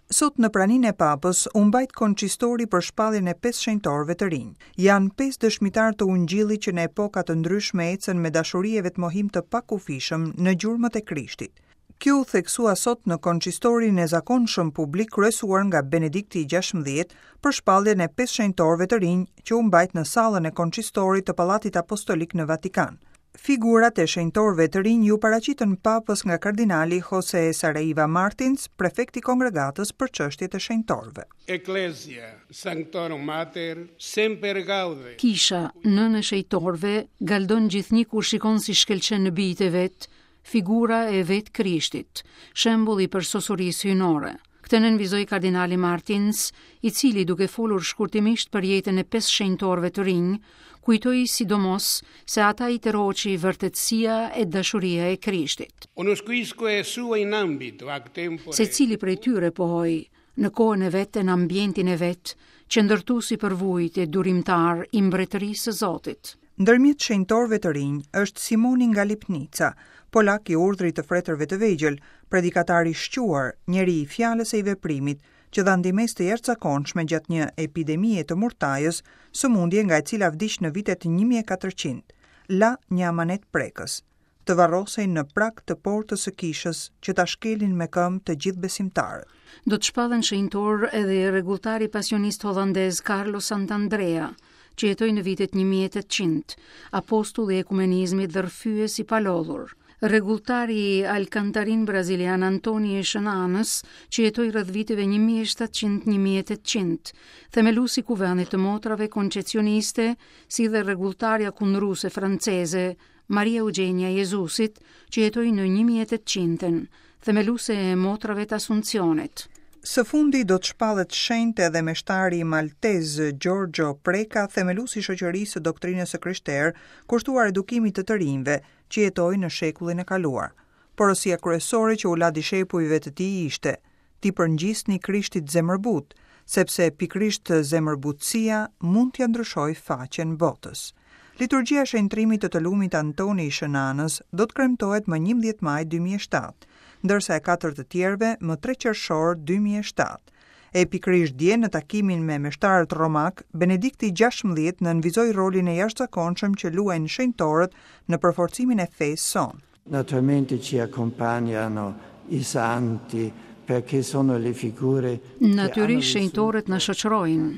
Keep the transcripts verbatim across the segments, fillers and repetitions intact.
Sot në praninë e Papës u mbajt konçistori për shpalljen e pesë shenjtorëve të rinj. Janë pesë dëshmitarë të Ungjillit që në epoka të ndryshme ecën me dashuri e vetmohim të pakufishëm në gjurmët e Krishtit. Kjo u theksua sot në konçistorin e zakonshëm publik kryesuar nga Benedikti i gjashtëmbëdhjetë për shpalljen e pesë shenjtorëve të rinj që u mbajt në sallën e konçistorit të Pallatit Apostolik në Vatikan. Figurat e shenjtorëve të rinj ju paraqitën Papës nga kardinali Jose Saraiva Martins, prefekti i kongregatës për çështjet e shenjtorëve. Ecclesia Sanctorum Mater semper gaude. Kisha, nënë e shenjtorëve, galdon gjithnjë kur shikon si shkëlqen në bijtë e vet, figura e vet Krishtit, shembulli i përsosurisë hyjnore. Këtë nënvizoi kardinali Martins, i cili duke folur shkurtimisht për jetën e pesë shenjtorëve të rinj, kujtoi sidomos se ata i tërhoqi vërtetësia e dashuria e Krishtit. Unusquisque sua in ambito ac tempore. Secili prej tyre pohoi, në kohën e vet e në ambientin e vet, që ndërtuesi përvujt e durimtar i mbretërisë së Zotit. Ndërmjet shenjtorëve të rinj është Simoni nga Lipnica, polak i urdhrit të fretërve të vegjël, predikatar i shquar, njeri i fjalës e i veprimit, që dha ndihmesë të jashtëzakonshme gjatë një epidemie të murtajës, sëmundje nga e cila vdiq në vitet një mijë e katërqind. La një amanet prekës, të varrosej në prag të portës së kishës që ta shkelin me këmbë të gjithë besimtarët. Do të shpallen shenjtor edhe rregulltari pasionist hollandez Carlo Sant'Andrea, që jetoi në vitet një mijë e tetëqind, apostulli i ekumenizmit dhe rrëfyes i palodhur. Rregulltari alkantarin brazilian Antoni i Shën Anës, që jetoi rreth viteve një mijë e shtatëqind një mijë e tetëqind, themeluesi i kuvendit të motrave koncesioniste, si dhe rregulltarja kundruse franceze Maria Eugenia Jezusit, që jetoi në një mijë e tetëqindën, themeluese e motrave të Asuncionit. Së fundi do të shpallet shenjt edhe meshtari maltez Giorgio Preka, themeluesi i shoqërisë së doktrinës së krishterë, kushtuar edukimit të të rinjve që jetoi në shekullin e kaluar. Porosia kryesore që u la dishepujve të tij ishte: ti përngjisni Krishtit zemërbut, sepse pikërisht zemërbutësia mund t'ia ndryshojë faqen botës. Liturgjia e shenjtrimit të të lumit Antoni i Shën Anës do të kremtohet më njëmbëdhjetë maj dy mijë e shtatë, ndërsa e katër të tjerëve më tre qershor dy mijë e shtatë. E pikërisht dje në takimin me meshtarët romak, Benedikti gjashtëmbëdhjetë nënvizoi rolin e jashtëzakonshëm që luajnë shenjtorët në përforcimin e fesë sonë. Naturalmente ci accompagnano i santi perché sono le figure che Natyrisht hanno shenjtorët na shoqërojnë.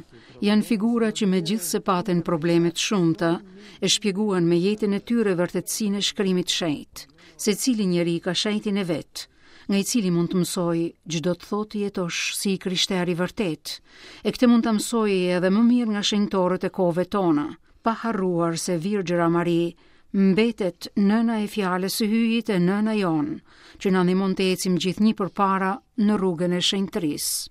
Janë figura që megjithse patën probleme të shumta, e shpjeguan me jetën e tyre vërtetësinë e shkrimit shenjt. Secili njeri ka shenjtin e vet, nga i cili mund të mësoj ç'do të thotë të jetosh si i krishterë i vërtet. E këtë mund ta mësoj edhe më mirë nga shenjtorët e kohëve tona, pa harruar se Virgjëra Mari mbetet nëna e fjalës së Hyjit e nëna jonë, që na ndihmon të ecim gjithnjë përpara në rrugën e shenjtërisë.